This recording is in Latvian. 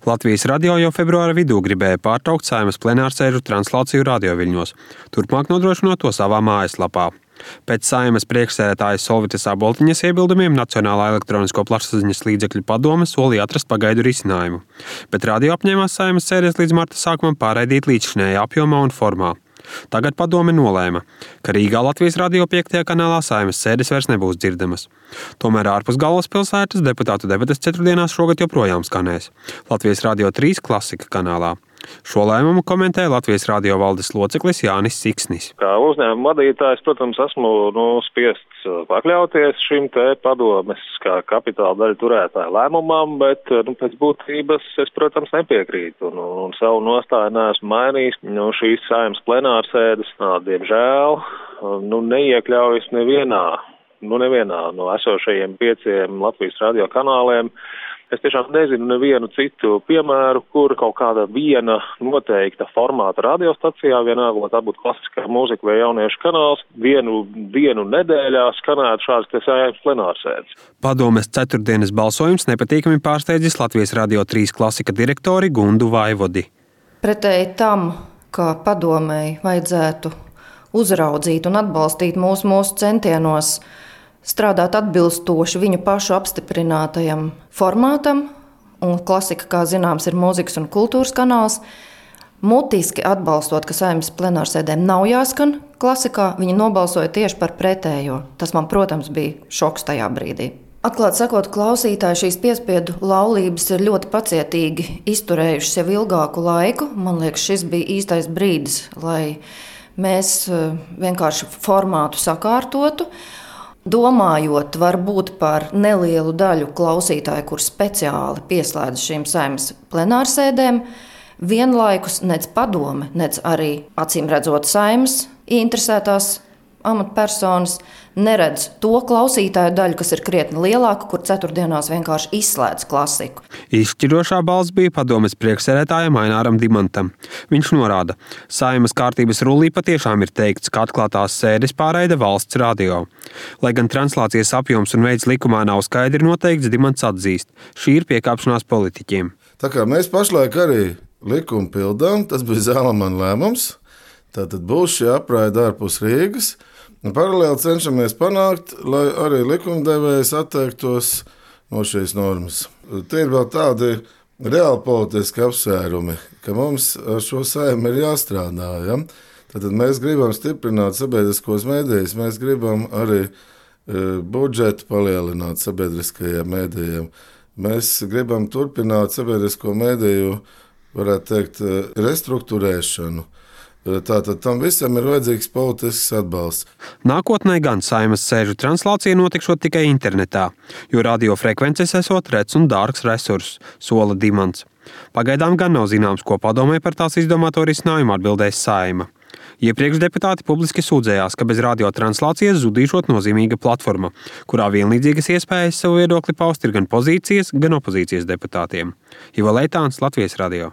Latvijas radio jau februāra vidū gribēja pārtraukt Saeimas plenārsēžu translāciju radioviļņos, turpmāk nodrošinot to savā mājaslapā. Pēc Saeimas priekšsēdētājas Solvitas Aboltiņas iebildumiem Nacionālā elektronisko plašsaziņas līdzekļu padome solīja atrast pagaidu risinājumu, bet radio apņēmās Saeimas sēdes līdz marta sākumam pārraidīt līdzšinējā apjomā un formā. Tagad padome nolēma, ka Rīgā Latvijas radio 5. kanālā Saeimas sēdes vairs nebūs dzirdamas. Tomēr ārpus galvaspilsētas deputātu debates ceturtdienās šogad joprojām skanēs Latvijas radio 3 klasika kanālā. Šo lēmumu komentē Latvijas radio valdes loceklis Jānis Siksnis. Kā uzņēmuma vadītājs, protams, esmu spiests pakļauties šim te padomes kā kapitāla daļu turētāju lēmumam, bet pēc būtības es, protams, nepiekrītu un savu nostāju neesmu mainījis. Šīs Saeimas plenārsēdes, diemžēl, neiekļaujas nevienā no esošajiem 5 Latvijas radio kanāliem. Es tiešām nezinu nevienu citu piemēru, kur kaut kāda viena noteikta formāta radiostacijā, vienalga, vai tā būtu klasiskā mūzika vai jauniešu kanāls, vienu dienu nedēļā skanētu šādas Saeimas plenārsēdes. Padomes ceturtdienas balsojums nepatīkami pārsteidzis Latvijas radio 3 klasika direktori Gundu Vaivodi. Pretēji tam, ka padomei vajadzētu uzraudzīt un atbalstīt mūsu centienos strādāt atbilstoši viņu pašu apstiprinātajam formātam, un klasika, kā zināms, ir mūzikas un kultūras kanāls. Mutiski atbalstot, ka Saeimas plenārsēdēm nav jāskan klasikā, viņi nobalsoja tieši par pretējo. Tas man, protams, bija šoks tajā brīdī. Atklāt sakot, klausītāji šīs piespiedu laulības ir ļoti pacietīgi izturējušas jau ilgāku laiku. Man liekas, šis bija īstais brīdis, lai mēs vienkārši formātu sakārtotu. Domājot varbūt par nelielu daļu klausītāju, kur speciāli pieslēdz šīm Saeimas plenārsēdēm, vienlaikus nec padome, nec arī acīm redzot Saeimas interesētās amatpersonas neredz to klausītāju daļu, kas ir krietni lielāka, kur ceturtdienās vienkārši izslēdz klasiku. Izšķirošā balss bija padomes priekšsēdētājam Aināram Dimantam. Viņš norāda, Saeimas kārtības rullī patiešām ir teikts, ka atklātās sēdes pārraida valsts radio. Lai gan translācijas apjoms un veids likumā nav skaidri noteikts, Dimants atzīst, šī ir piekāpšanās politiķiem. Tā kā mēs pašlaik arī likumu pildām, tas bija Zālamana lēmums, tātad būs šī apraide ārpus Rīgas. Paralēli cenšamies panākt, lai arī likumdevējs atteiktos no šīs normas. Tie ir vēl tādi reāli politiski apsvērumi, ka mums ar šo Saimu ir jāstrādā. Ja? Tātad mēs gribam stiprināt sabiedriskos mēdījus, mēs gribam arī budžetu palielināt sabiedriskajiem mēdījiem. Mēs gribam turpināt sabiedrisko mēdīju, varētu teikt, restruktūrēšanu. Tātad tam visam ir vajadzīgs politisks atbalsts. Nākotnē gan Saeimas sēžu translācija notikšot tikai internetā, jo radiofrekvences esot rets un dārgs resurss, sola Dimants. Pagaidām gan nav zināms, ko padomē par tās izdomāto risinājumu atbildēs Saeima. Iepriekš deputāti publiski sūdzējās, ka bez radiotranslācijas zudīšot nozīmīga platforma, kurā vienlīdzīgas iespējas savu viedokli paust ir gan pozīcijas, gan opozīcijas deputātiem. Ivo Leitāns, Latvijas radio.